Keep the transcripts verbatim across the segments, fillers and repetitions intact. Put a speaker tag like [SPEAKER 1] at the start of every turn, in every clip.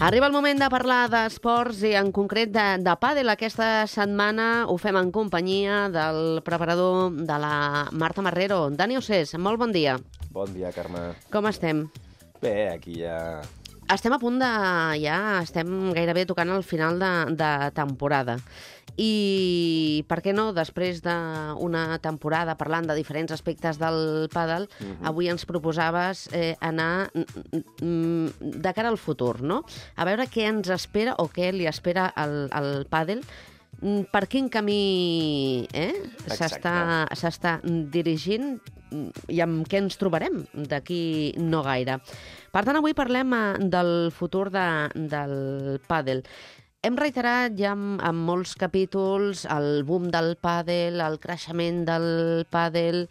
[SPEAKER 1] Arriba el moment de parlar d'esports i en concret de, de pàdel. Aquesta setmana ho fem en companyia del preparador de la Marta Marrero. Dani Ossés, molt bon dia.
[SPEAKER 2] Bon dia, Carme.
[SPEAKER 1] Com estem?
[SPEAKER 2] Bé, aquí ja...
[SPEAKER 1] Estem a punt de... ja estem gairebé tocant el final de, de temporada. I per què no, després d'una temporada parlant de diferents aspectes del pàdel, uh-huh. avui ens proposaves eh, anar de cara al futur, no? A veure què ens espera o què li espera al, al pàdel, per quin camí eh, s'està s'està dirigint i amb què ens trobarem d'aquí no gaire. Per tant, avui parlem del futur de, del pàdel. Hem reiterat ja en, en molts capítols el boom del pàdel, el creixement del pàdel,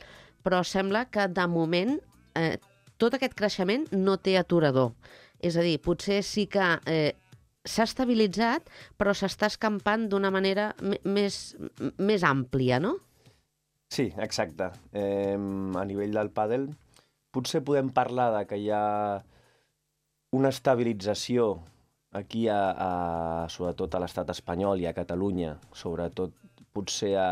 [SPEAKER 1] però sembla que de moment eh, tot aquest creixement no té aturador. És a dir, potser sí que eh, s'ha estabilitzat, però s'està escampant d'una manera més, més àmplia, no?
[SPEAKER 2] Sí, exacte. Eh, a nivell del pàdel potser podem parlar de que hi ha una estabilització aquí, a, a, sobretot a l'estat espanyol i a Catalunya, sobretot potser a,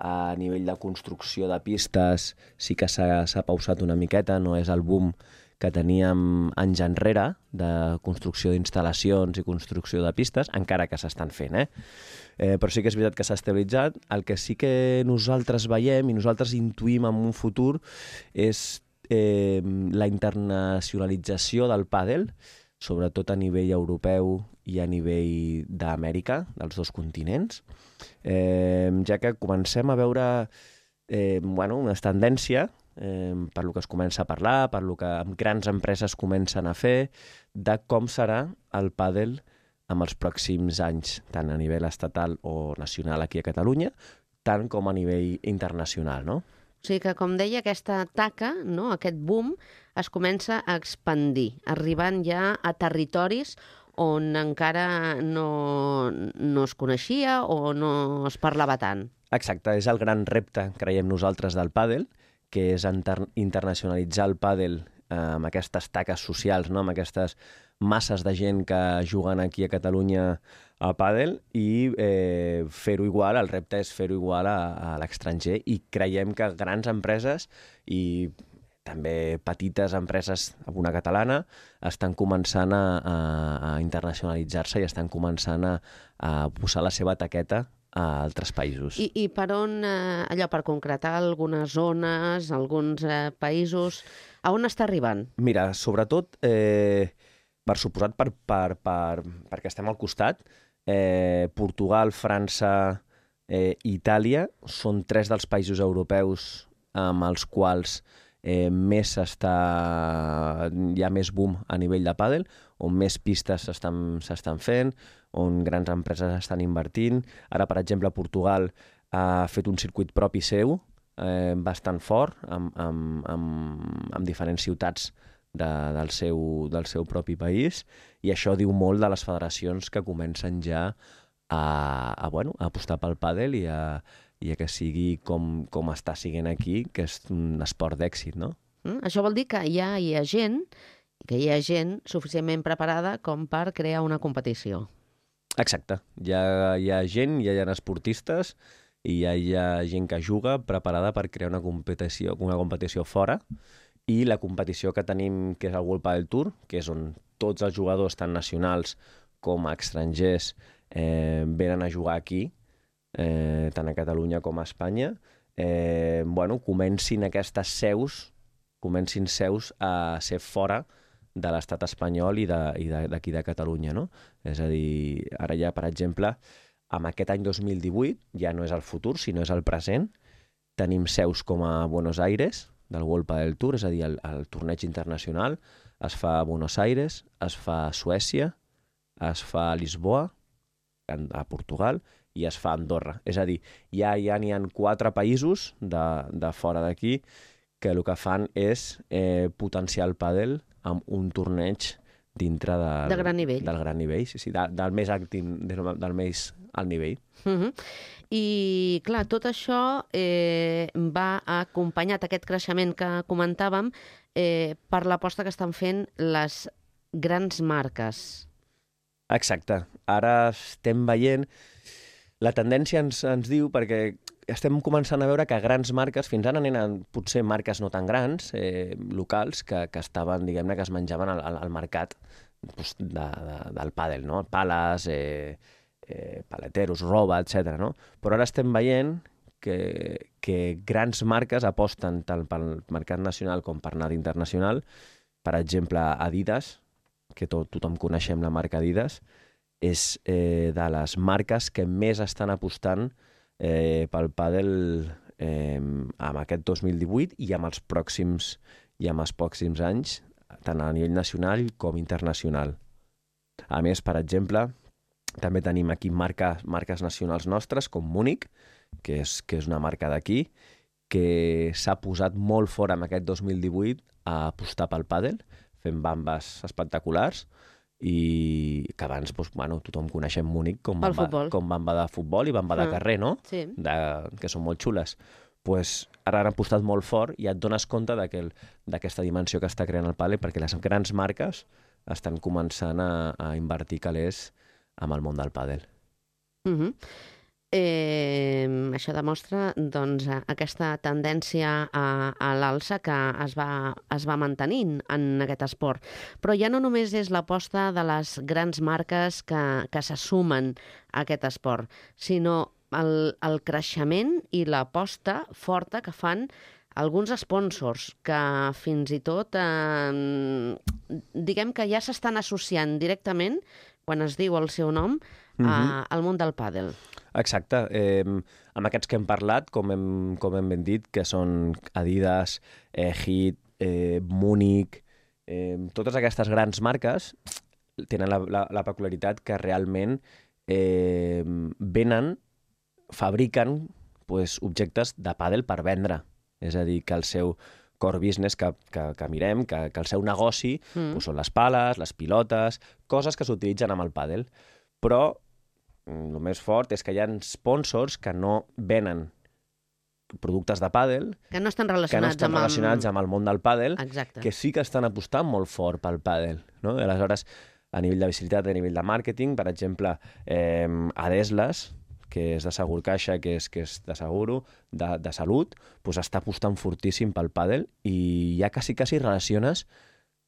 [SPEAKER 2] a nivell de construcció de pistes, sí que s'ha pausat una miqueta, no és el boom que teníem anys enrere de construcció d'instal·lacions i construcció de pistes, encara que s'estan fent, eh? eh? Però sí que és veritat que s'ha estabilitzat. El que sí que nosaltres veiem i nosaltres intuïm en un futur és eh, la internacionalització del pàdel, sobretot a nivell europeu i a nivell d'Amèrica, dels dos continents, eh, ja que comencem a veure eh, bueno, una tendència, eh, per lo que es comença a parlar, per lo que grans empreses comencen a fer, de com serà el pàdel en els pròxims anys, tant a nivell estatal o nacional aquí a Catalunya, tant com a nivell internacional, no?
[SPEAKER 1] O sigui que, com deia, aquesta taca, no, aquest boom, es comença a expandir, arribant ja a territoris on encara no, no es coneixia o no es parlava tant.
[SPEAKER 2] Exacte, és el gran repte, creiem nosaltres, del pàdel, que és internacionalitzar el pàdel eh, amb aquestes taques socials, no? Amb aquestes masses de gent que juguen aquí a Catalunya a pàdel i eh, fer-ho igual, el repte és fer-ho igual a, a l'estranger, i creiem que grans empreses i també petites empreses, una catalana, estan començant a, a, a internacionalitzar-se i estan començant a, a posar la seva taqueta a altres països.
[SPEAKER 1] I, i per on, eh, allò, per concretar algunes zones, alguns eh, països, a on està arribant?
[SPEAKER 2] Mira, sobretot, eh, per suposat, per, per, per, perquè estem al costat, eh, Portugal, França eh, i Itàlia són tres dels països europeus amb els quals eh, més està, hi ha més boom a nivell de pàdel, on més pistes s'estan fent, on grans empreses estan invertint. Ara, per exemple, Portugal ha fet un circuit propi seu, eh, bastant fort, amb, amb, amb, amb diferents ciutats de, del, seu, del seu propi país, i això diu molt de les federacions que comencen ja a, a, bueno, a apostar pel pàdel i a, i a que sigui com, com està siguent aquí, que és un esport d'èxit, no?
[SPEAKER 1] Mm, això vol dir que ja hi ha gent, que hi ha gent suficientment preparada com per crear una competició.
[SPEAKER 2] Exacte. Hi ha, hi ha gent, ja hi ha esportistes i ja hi ha gent que juga preparada per crear una competició, una competició fora, i la competició que tenim, que és el World Padel Tour, que és on tots els jugadors, tant nacionals com a estrangers, eh, venen a jugar aquí, eh, tant a Catalunya com a Espanya, eh, bueno, comencin aquestes seus, comencin seus a ser fora de l'estat espanyol i d'aquí de, de, de Catalunya, no? És a dir, ara ja, per exemple, amb aquest any dos mil divuit, ja no és el futur, sinó és el present, tenim seus com a Buenos Aires, del World Padel Tour, és a dir, el, el torneig internacional es fa a Buenos Aires, es fa a Suècia, es fa a Lisboa, a Portugal, i es fa a Andorra. És a dir, ja, ja n'hi ha quatre països de, de fora d'aquí que el que fan és eh, potenciar el pàdel amb un torneig dintre del,
[SPEAKER 1] de gran nivell.
[SPEAKER 2] del gran nivell, sí, sí, de, del més actiu, del, del més alt nivell.
[SPEAKER 1] Uh-huh. I, clar, tot això eh, va acompanyat, aquest creixement que comentàvem, eh, per l'aposta que estan fent les grans marques.
[SPEAKER 2] Exacte. Ara estem veient... La tendència ens, ens diu, perquè estem començant a veure que grans marques, fins ara eren potser marques no tan grans, eh, locals, que, que estaven, diguem-ne, que es menjaven al, al mercat doncs, de, de, del pàdel, no? Pales, eh, eh, paleteros, roba, etcètera. No? Però ara estem veient que, que grans marques aposten tant pel mercat nacional com per anar internacional. Per exemple, Adidas, que tot, tothom coneixem la marca Adidas, és eh, de les marques que més estan apostant eh, pel pàdel eh, amb aquest dos mil divuit i amb els pròxims i amb els pròxims anys, tant a nivell nacional com internacional. A més, per exemple, també tenim aquí marques, marques nacionals nostres, com Múnich, que és, que és una marca d'aquí, que s'ha posat molt fort en aquest dos mil divuit a apostar pel pàdel, fent bambes espectaculars, i que abans doncs, bueno, tothom coneixem Múnich com bamba, com bamba de futbol i bamba mm. de carrer, no?
[SPEAKER 1] Sí.
[SPEAKER 2] De, que són molt xules. Pues, ara han apostat molt fort i et dones compte d'aquesta dimensió que està creant el pàdel, perquè les grans marques estan començant a, a invertir calés amb el món del pàdel.
[SPEAKER 1] Mm-hmm. Eh, això demostra doncs, aquesta tendència a, a l'alça que es va, es va mantenint en aquest esport. Però ja no només és l'aposta de les grans marques que, que se sumen a aquest esport, sinó el, el creixement i l'aposta forta que fan alguns sponsors que fins i tot eh, diguem que ja s'estan associant directament, quan es diu el seu nom, a, al món del pàdel.
[SPEAKER 2] Exacte. Eh, amb aquests que hem parlat, com hem, com hem ben dit, que són Adidas, eh, Hit, eh, Múnich, eh, totes aquestes grans marques tenen la, la, la peculiaritat que realment eh, venen, fabriquen pues, objectes de pàdel per vendre. És a dir, que el seu core business que, que, que mirem, que, que el seu negoci mm. pues, són les pales, les pilotes, coses que s'utilitzen amb el pàdel. Però el més fort és que hi ha sponsors que no venen productes de pàdel,
[SPEAKER 1] que no estan relacionats,
[SPEAKER 2] que no estan
[SPEAKER 1] amb,
[SPEAKER 2] relacionats
[SPEAKER 1] el...
[SPEAKER 2] amb el món del pàdel,
[SPEAKER 1] Exacte.
[SPEAKER 2] Que sí que estan apostant molt fort pel pàdel. No? I aleshores, a nivell de visibilitat, a nivell de màrqueting, per exemple, eh, Adeslas, que és de Segur Caixa, que és, que és de seguro, de, de salut, pues està apostant fortíssim pel pàdel i ja quasi, quasi relaciones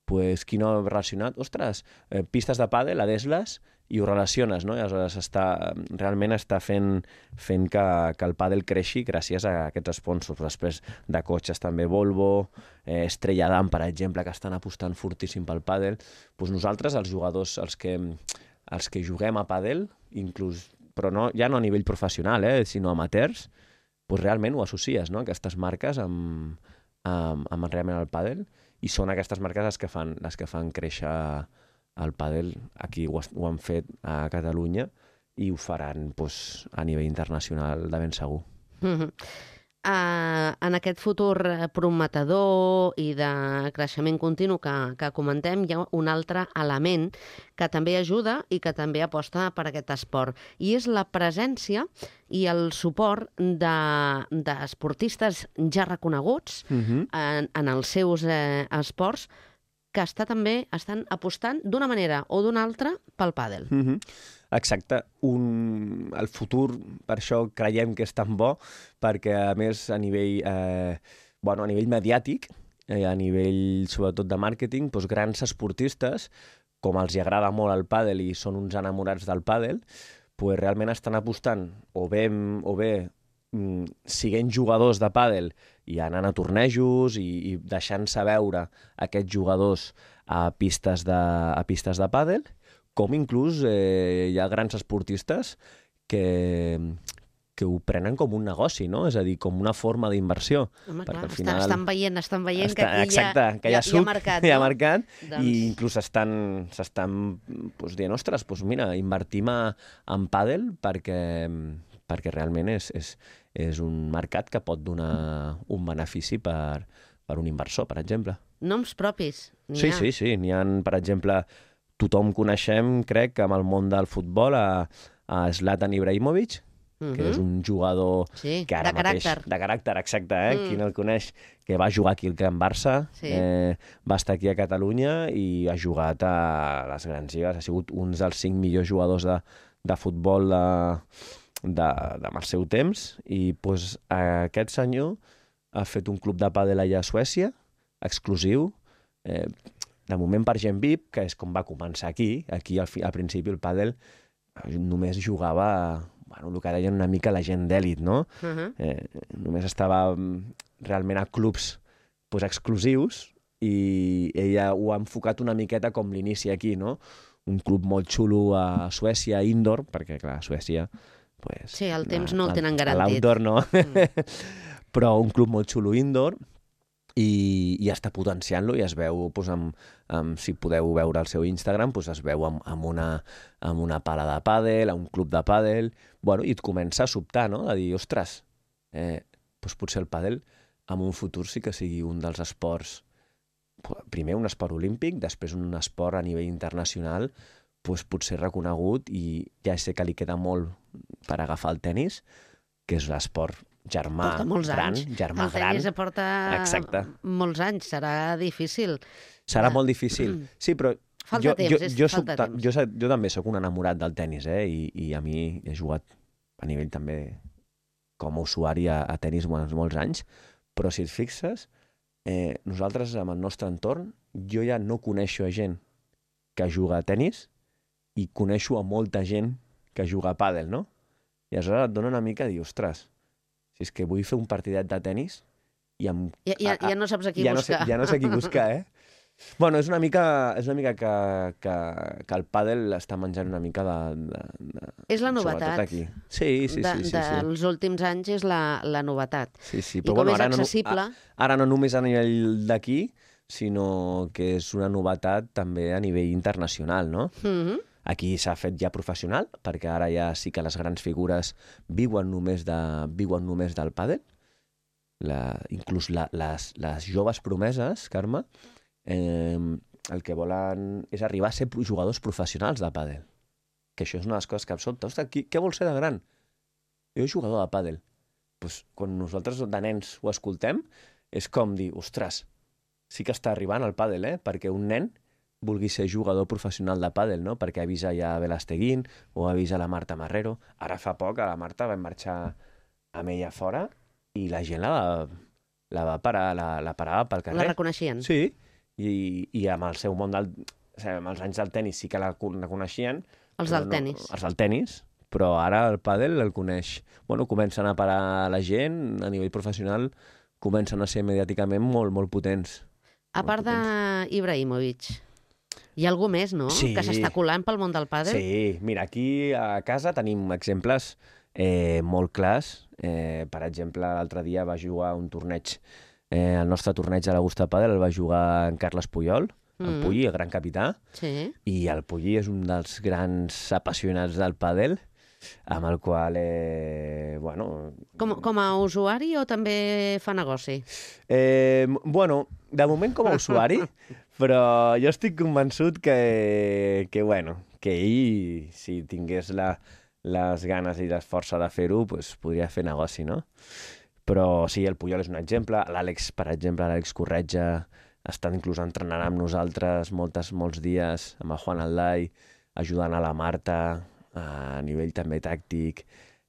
[SPEAKER 2] pues, qui no ha relacionat, ostres, eh, pistes de pàdel, Adeslas, i ho relaciones, no? I aleshores està, realment està fent, fent que, que el pàdel creixi gràcies a aquests sponsors. Després de cotxes també Volvo, eh, Estrella Damm, per exemple, que estan apostant fortíssim pel pàdel. Pues nosaltres, els jugadors, els que, els que juguem a pàdel, inclús, però no, ja no a nivell professional, eh, sinó amateurs, pues realment ho associes, no? Aquestes marques amb, amb, amb realment el pàdel, i són aquestes marques les que fan, les que fan créixer el pàdel. Aquí ho, ho han fet a Catalunya i ho faran pues, a nivell internacional de ben segur.
[SPEAKER 1] Mm-hmm. Uh, en aquest futur prometedor i de creixement continu que, que comentem, hi ha un altre element que també ajuda i que també aposta per aquest esport, i és la presència i el suport d'esportistes de, ja reconeguts mm-hmm. en, en els seus eh, esports, que està també estan apostant d'una manera o d'una altra pel pàdel.
[SPEAKER 2] Mm-hmm. Exacte. Un... El futur, per això creiem que és tan bo, perquè a més a nivell, eh, bueno, a nivell mediàtic, eh, a nivell sobretot de màrqueting, doncs grans esportistes, com els hi agrada molt el pàdel i són uns enamorats del pàdel, doncs realment estan apostant o bé, o bé mm, siguent jugadors de pàdel i anant a tornejos i, i deixant-se veure aquests jugadors a pistes de, a pistes de pàdel, com inclús eh, hi ha grans esportistes que, que ho prenen com un negoci, no? És a dir, com una forma d'inversió.
[SPEAKER 1] Home, clar, al final... estan veient, estan veient està, que aquí
[SPEAKER 2] exacte,
[SPEAKER 1] hi ha,
[SPEAKER 2] que hi ha,
[SPEAKER 1] suc, hi ha mercat,
[SPEAKER 2] hi ha
[SPEAKER 1] no?
[SPEAKER 2] mercat
[SPEAKER 1] doncs...
[SPEAKER 2] i inclús s'estan pues, dient, ostres, pues, mira, invertim a, en pàdel perquè, perquè realment és, és, és un mercat que pot donar un benefici per, per un inversor, per exemple.
[SPEAKER 1] Noms propis, n'hi
[SPEAKER 2] sí,
[SPEAKER 1] ha.
[SPEAKER 2] Sí, sí, n'hi ha, per exemple... Tothom coneixem, crec, que amb el món del futbol a, a Zlatan Ibrahimovic,
[SPEAKER 1] uh-huh.
[SPEAKER 2] que és un jugador
[SPEAKER 1] sí,
[SPEAKER 2] que ara
[SPEAKER 1] de
[SPEAKER 2] mateix...
[SPEAKER 1] caràcter.
[SPEAKER 2] De caràcter, exacte, eh?
[SPEAKER 1] Mm.
[SPEAKER 2] Qui no el coneix, que va jugar aquí al Can Barça,
[SPEAKER 1] Sí.
[SPEAKER 2] eh, va estar aquí a Catalunya i ha jugat a les grans lligues. Ha sigut un dels cinc millors jugadors de, de futbol de, de, de, del seu temps i pues, aquest senyor ha fet un club de pàdel allà a Suècia, exclusiu, eh, de moment per gent V I P, que és com va començar aquí. Aquí al, fi, al principi el pàdel només jugava, bueno, el que deien una mica la gent d'èlit, no?
[SPEAKER 1] Uh-huh.
[SPEAKER 2] Eh, només estava realment a clubs pues, exclusius i ella ho ha enfocat una miqueta com l'inici aquí, no? Un club molt xulo a Suècia, indoor, perquè clar, a Suècia... Pues,
[SPEAKER 1] sí, el temps no el tenen
[SPEAKER 2] a,
[SPEAKER 1] garantit.
[SPEAKER 2] A l'outdoor no, mm. però un club molt xulo indoor i, i està potenciant-lo i es veu, pues, amb, amb, si podeu veure el seu Instagram, pues, es veu amb, amb, una, amb una pala de pàdel, un club de pàdel, bueno, i et comença a sobtar, no? A dir, ostres, eh, pues, potser el pàdel en un futur sí que sigui un dels esports, primer un esport olímpic, després un esport a nivell internacional, pues, potser reconegut, i ja sé que li queda molt per agafar el tennis, que és l'esport germà gran, germà
[SPEAKER 1] el
[SPEAKER 2] gran.
[SPEAKER 1] El tenis porta
[SPEAKER 2] Exacte.
[SPEAKER 1] molts anys, serà difícil.
[SPEAKER 2] Serà molt difícil, sí, però
[SPEAKER 1] falta
[SPEAKER 2] jo,
[SPEAKER 1] temps,
[SPEAKER 2] jo,
[SPEAKER 1] és,
[SPEAKER 2] jo,
[SPEAKER 1] falta
[SPEAKER 2] soc,
[SPEAKER 1] temps.
[SPEAKER 2] Jo, jo també sóc un enamorat del tennis, eh? I, i a mi he jugat a nivell també com a usuari a, a tennis molts, molts anys, però si et fixes, eh, nosaltres amb el nostre entorn, jo ja no coneixo a gent que juga a tennis i coneixo a molta gent que juga a pàdel, no? I aleshores et dona una mica de dir, ostres, si és que vull fer un partidet de tennis i em...
[SPEAKER 1] Ja, ja, ja no saps a qui
[SPEAKER 2] ja
[SPEAKER 1] buscar.
[SPEAKER 2] No sé, ja no sé qui buscar, eh? Bueno, és una mica, és una mica que, que, que el pàdel està menjant una mica de... de, de
[SPEAKER 1] és la novetat.
[SPEAKER 2] Aquí. Sí, sí,
[SPEAKER 1] de,
[SPEAKER 2] sí. sí,
[SPEAKER 1] dels
[SPEAKER 2] sí.
[SPEAKER 1] últims anys és la, la novetat.
[SPEAKER 2] Sí, sí.
[SPEAKER 1] I
[SPEAKER 2] Però,
[SPEAKER 1] com
[SPEAKER 2] bueno,
[SPEAKER 1] és
[SPEAKER 2] ara
[SPEAKER 1] accessible...
[SPEAKER 2] No, ara no només a nivell d'aquí, sinó que és una novetat també a nivell internacional, no?
[SPEAKER 1] Mm-hmm.
[SPEAKER 2] Aquí s'ha fet ja professional, perquè ara ja sí que les grans figures viuen només, de, viuen només del pàdel. La, inclús la, les, les joves promeses, Carme, eh, el que volen és arribar a ser jugadors professionals de pàdel. Que això és una de les coses que em sobta. Ostres, qui, què vols ser de gran? Jo soc jugador de pàdel. Pues, quan nosaltres de nens ho escoltem, és com dir, ostres, sí que està arribant al pàdel, eh? Perquè un nen vulgui ser jugador professional de pàdel, no? Perquè ha vist ja a Belasteguín o ha vist a la Marta Marrero. Ara fa poc a la Marta vam marxar amb ella fora i la gent la va, la va parar, la, la parava pel carrer.
[SPEAKER 1] La reconeixien?
[SPEAKER 2] Sí, i, i amb el seu món del... O sigui, amb els anys del tenis sí que la, la coneixien.
[SPEAKER 1] Els del no, tenis.
[SPEAKER 2] Els del tenis, però ara el pàdel el coneix. Bueno, comencen a parar la gent, a nivell professional, comencen a ser mediàticament molt, molt potents.
[SPEAKER 1] A part d'Ibrahimovic, hi ha algú més, no?,
[SPEAKER 2] sí.
[SPEAKER 1] que s'està colant pel món del pàdel?
[SPEAKER 2] Sí, mira, aquí a casa tenim exemples eh, molt clars. Eh, per exemple, l'altre dia va jugar un torneig, eh, el nostre torneig de l'Augusta Pàdel el va jugar en Carles Puyol, mm. el Pulli, el gran capità,
[SPEAKER 1] sí.
[SPEAKER 2] I el Pulli és un dels grans apassionats del pàdel, amb el qual, eh, bueno...
[SPEAKER 1] Com, com a usuari o també fa negoci?
[SPEAKER 2] Eh, bueno, de moment com a usuari, però jo estic convençut que, que, bueno, que ell, si tingués la, les ganes i la força de fer-ho, pues, podria fer negoci, no? Però sí, el Puyol és un exemple. L'Àlex, per exemple, l'Àlex Corretja, està inclús entrenant amb nosaltres moltes, molts dies, amb el Juan Aldai, ajudant a la Marta, a nivell també tàctic,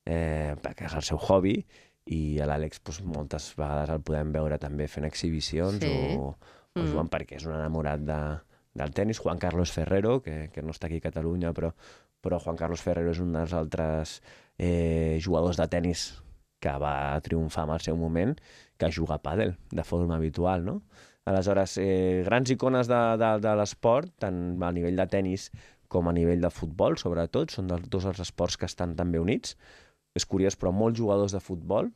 [SPEAKER 2] eh, perquè és el seu hobby, i a l'Àlex pues, moltes vegades el podem veure també fent exhibicions sí. o, o mm. jugant perquè és un enamorat de, del tennis. Juan Carlos Ferrero, que, que no està aquí a Catalunya, però, però Juan Carlos Ferrero és un dels altres eh, jugadors de tennis que va triomfar en el seu moment, que juga a pàdel de forma habitual, no? Aleshores, eh, grans icones de, de, de l'esport, tant a nivell de tennis com a nivell de futbol, sobretot, són dels dos els esports que estan també units. És curiós, però molts jugadors de futbol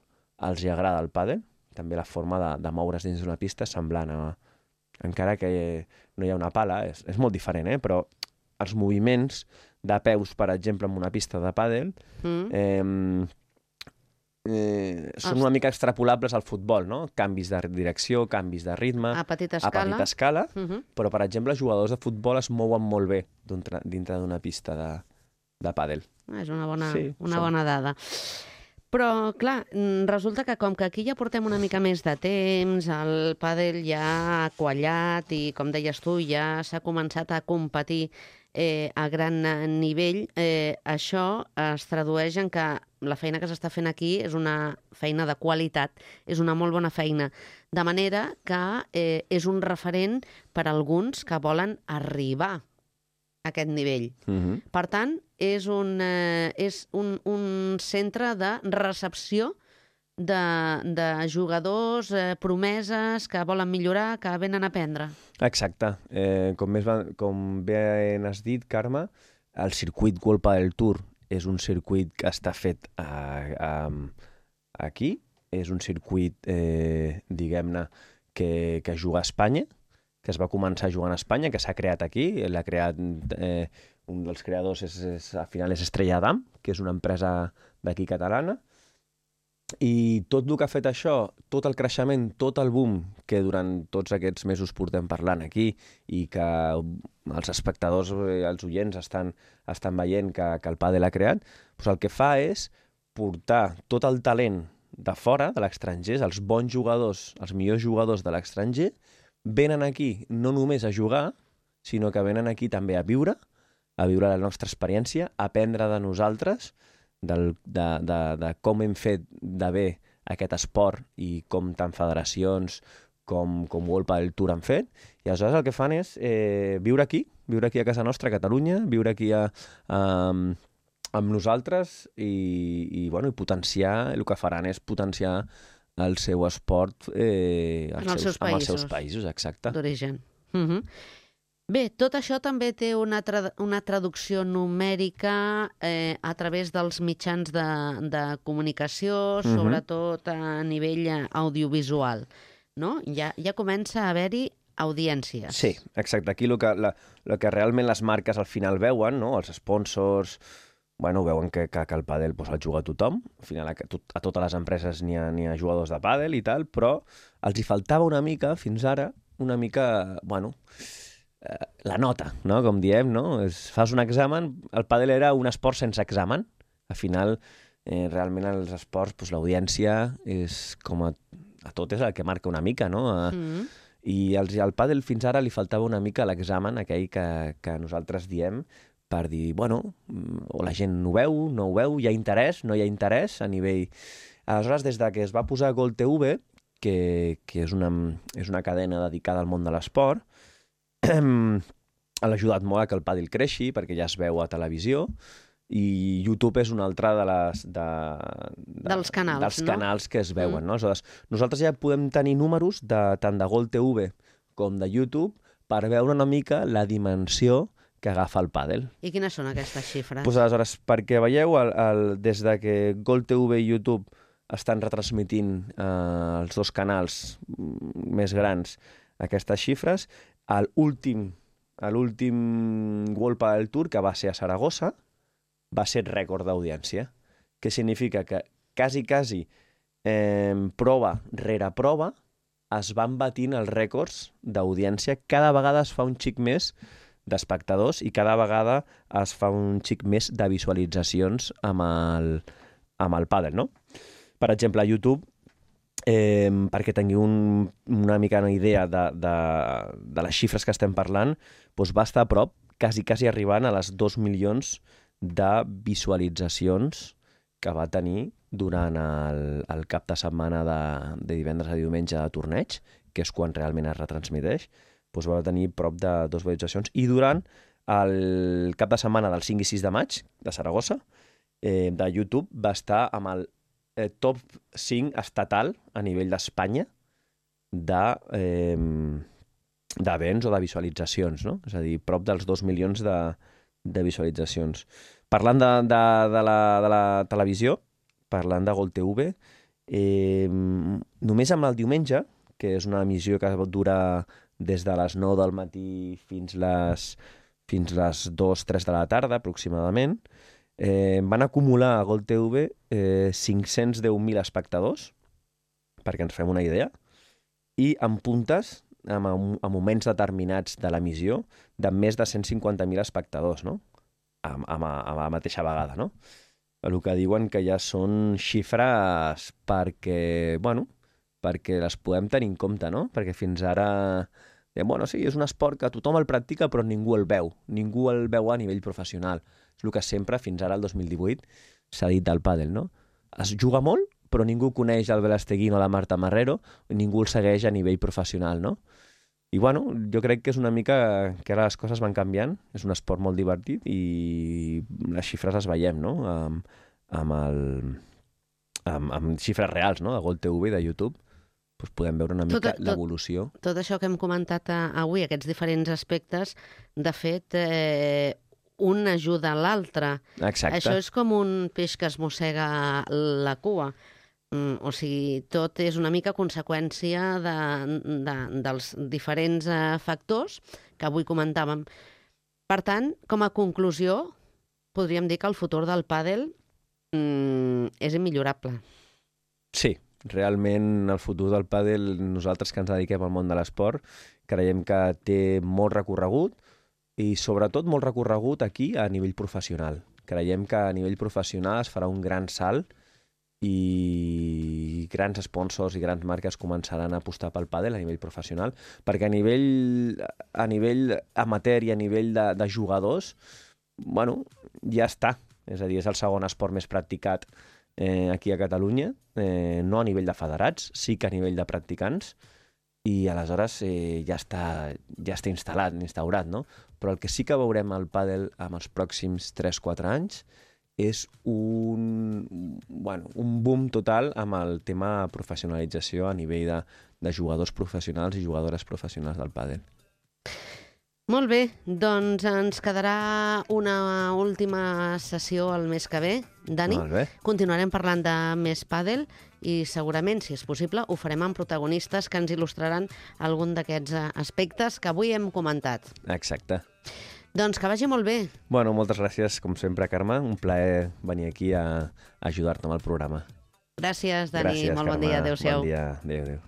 [SPEAKER 2] els hi agrada el pàdel, també la forma de, de moure's dins d'una pista semblant a... Encara que no hi ha una pala, és, és molt diferent, eh? Però els moviments de peus, per exemple, en una pista de pàdel, mm. eh, eh, són una mica extrapolables al futbol, no? Canvis de direcció, canvis de ritme...
[SPEAKER 1] A petita escala.
[SPEAKER 2] A petita escala,
[SPEAKER 1] uh-huh.
[SPEAKER 2] Però, per exemple, jugadors de futbol es mouen molt bé dintre d'una pista de, de pàdel.
[SPEAKER 1] És una bona,
[SPEAKER 2] Sí,
[SPEAKER 1] una
[SPEAKER 2] som.
[SPEAKER 1] bona dada. Però, clar, resulta que com que aquí ja portem una mica més de temps, el pàdel ja ha quallat i, com deies tu, ja s'ha començat a competir eh, a gran nivell, eh, això es tradueix en que la feina que s'està fent aquí és una feina de qualitat, és una molt bona feina, de manera que eh, és un referent per a alguns que volen arribar a aquest nivell.
[SPEAKER 2] Mm-hmm.
[SPEAKER 1] Per tant, és un, eh, és un, un centre de recepció de, de jugadors, eh, promeses que volen millorar, que venen a aprendre.
[SPEAKER 2] Exacte. Eh, com, més va, com bé has dit, Carme, el circuit World Padel Tour és un circuit que està fet a, a, aquí, és un circuit, eh, diguem-ne, que, que juga a Espanya, que es va començar jugant a Espanya, que s'ha creat aquí, l'ha creat, eh, un dels creadors és, és, al final és Estrella Damm, que és una empresa d'aquí catalana, i tot el que ha fet això, tot el creixement, tot el boom que durant tots aquests mesos portem parlant aquí i que els espectadors, els oients estan, estan veient que, que el pàdel ha creat, doncs el que fa és portar tot el talent de fora, de l'estranger, els bons jugadors, els millors jugadors de l'estranger, venen aquí no només a jugar, sinó que venen aquí també a viure, a viure la nostra experiència, a aprendre de nosaltres, del, de, de, de com hem fet de bé aquest esport i com tant federacions com, com World Padel Tour han fet. I aleshores el que fan és eh, viure aquí, viure aquí a casa nostra, a Catalunya, viure aquí a, a, amb nosaltres i, i, bueno, i potenciar, el que faran és potenciar el seu esport eh,
[SPEAKER 1] en els seus, seus
[SPEAKER 2] amb els
[SPEAKER 1] països,
[SPEAKER 2] seus països, exacte.
[SPEAKER 1] D'origen. Uh-huh. Bé, tot això també té una, tra una traducció numèrica eh, a través dels mitjans de, de comunicació, uh-huh. sobretot a nivell audiovisual, no? Ja, ja comença a haver-hi audiències.
[SPEAKER 2] Sí, exacte. Aquí el que, la, el que realment les marques al final veuen, no? Els sponsors, bueno, veuen que, que, que el pàdel pues, el juga tothom. Al final a, a totes les empreses n'hi ha, n'hi ha jugadors de pàdel i tal, però els hi faltava una mica, fins ara, una mica, bueno, la nota, no? Com diem, no? Es, fas un examen, el pàdel era un esport sense examen. Al final, eh, realment els esports, pues, l'audiència és com a, a tot és el que marca una mica, no? A, mm. I als, al pàdel fins ara li faltava una mica l'examen, aquell que, que nosaltres diem, per dir, bueno, o la gent no ho veu, no ho veu, hi ha interès, no hi ha interès a nivell... Aleshores, des de que es va posar Gol T V, que, que és, una, és una cadena dedicada al món de l'esport, ha ajudat molt a que el pàdel creixi, perquè ja es veu a televisió, i YouTube és un altre de les, de, de,
[SPEAKER 1] dels canals,
[SPEAKER 2] dels
[SPEAKER 1] no?
[SPEAKER 2] canals que es veuen. Mm. No? Aleshores, nosaltres ja podem tenir números de, tant de Gol T V com de YouTube per veure una mica la dimensió que agafa el pàdel.
[SPEAKER 1] I quines són aquestes xifres?
[SPEAKER 2] Pues aleshores, perquè veieu, el, el, des de que Gol T V i YouTube estan retransmitint eh, els dos canals més grans aquestes xifres, a l'últim a l'últim World Padel Tour, que va ser a Saragossa, va ser rècord d'audiència, que significa que quasi, quasi eh, prova rere prova es van batint els rècords d'audiència. Cada vegada es fa un xic més d'espectadors i cada vegada es fa un xic més de visualitzacions amb el, amb el pàdel, no? Per exemple, a YouTube, Eh, perquè tingueu un, una mica una idea de, de, de les xifres que estem parlant, doncs va estar a prop, quasi, quasi arribant a les dos milions de visualitzacions que va tenir durant el, el cap de setmana de, de divendres a diumenge de torneig, que és quan realment es retransmiteix, doncs va tenir prop de dues visualitzacions. I durant el cap de setmana del cinc i sis de maig de Saragossa, eh, de YouTube, va estar amb el Eh, top cinc estatal a nivell d'Espanya de, eh, d'events o de visualitzacions, no? És a dir, prop dels dos milions de, de visualitzacions. Parlant de, de, de, la, de la televisió, parlant de Gol T V, eh, només amb el diumenge, que és una emissió que dura des de les nou del matí fins les, fins les dues tres de la tarda, aproximadament, Eh, van acumular a Gol T V eh, cinc-cents deu mil espectadors, perquè ens fem una idea, i en puntes, en, en moments determinats de l'emissió, de més de cent cinquanta mil espectadors, no? a, a, a la mateixa vegada, no? El que diuen que ja són xifres perquè, bueno, perquè les podem tenir en compte, no? Perquè fins ara, bueno, sí, és un esport que tothom el practica però ningú el veu, ningú el veu a nivell professional. És el que sempre, fins ara, el dos mil divuit, s'ha dit del pàdel, no? Es juga molt, però ningú coneix el Belasteguín o la Marta Marrero, ningú el segueix a nivell professional, no? I, bueno, jo crec que és una mica que ara les coses van canviant, és un esport molt divertit i les xifres les veiem, no? Amb, amb, el, amb, amb xifres reals, no? De Gol T V, de YouTube, doncs podem veure una mica l'evolució.
[SPEAKER 1] Tot, tot això que hem comentat avui, aquests diferents aspectes, de fet, eh, un ajuda a l'altre.
[SPEAKER 2] Exacte.
[SPEAKER 1] Això és com un peix que es mossega la cua. Mm, o sigui, tot és una mica conseqüència de, de, dels diferents eh, factors que avui comentàvem. Per tant, com a conclusió, podríem dir que el futur del pàdel mm, és immillorable.
[SPEAKER 2] Sí, realment el futur del pàdel, nosaltres que ens dediquem al món de l'esport, creiem que té molt recorregut i sobretot molt recorregut aquí a nivell professional. Creiem que a nivell professional es farà un gran salt i grans sponsors i grans marques començaran a apostar pel pàdel a nivell professional, perquè a nivell, a nivell amateur i a nivell de, de jugadors, bueno, ja està. És a dir, és el segon esport més practicat eh, aquí a Catalunya, eh, no a nivell de federats, sí que a nivell de practicants, i aleshores eh, ja, està, ja està instal·lat, instaurat, no? Però el que sí que veurem al pàdel en els pròxims tres quatre anys és un, bueno, un boom total amb el tema professionalització a nivell de, de jugadors professionals i jugadores professionals del pàdel.
[SPEAKER 1] Molt bé, doncs ens quedarà una última sessió el mes que ve, Dani.
[SPEAKER 2] Molt bé.
[SPEAKER 1] Continuarem parlant de més pàdel i segurament, si és possible, ho farem amb protagonistes que ens il·lustraran algun d'aquests aspectes que avui hem comentat.
[SPEAKER 2] Exacte.
[SPEAKER 1] Doncs que vagi molt bé.
[SPEAKER 2] Bueno, moltes gràcies, com sempre, Carme. Un plaer venir aquí a ajudar-te amb el programa.
[SPEAKER 1] Gràcies, Dani.
[SPEAKER 2] Gràcies,
[SPEAKER 1] molt
[SPEAKER 2] Carme.
[SPEAKER 1] Bon dia. Adéu-siau.
[SPEAKER 2] Bon dia. Adéu, adéu.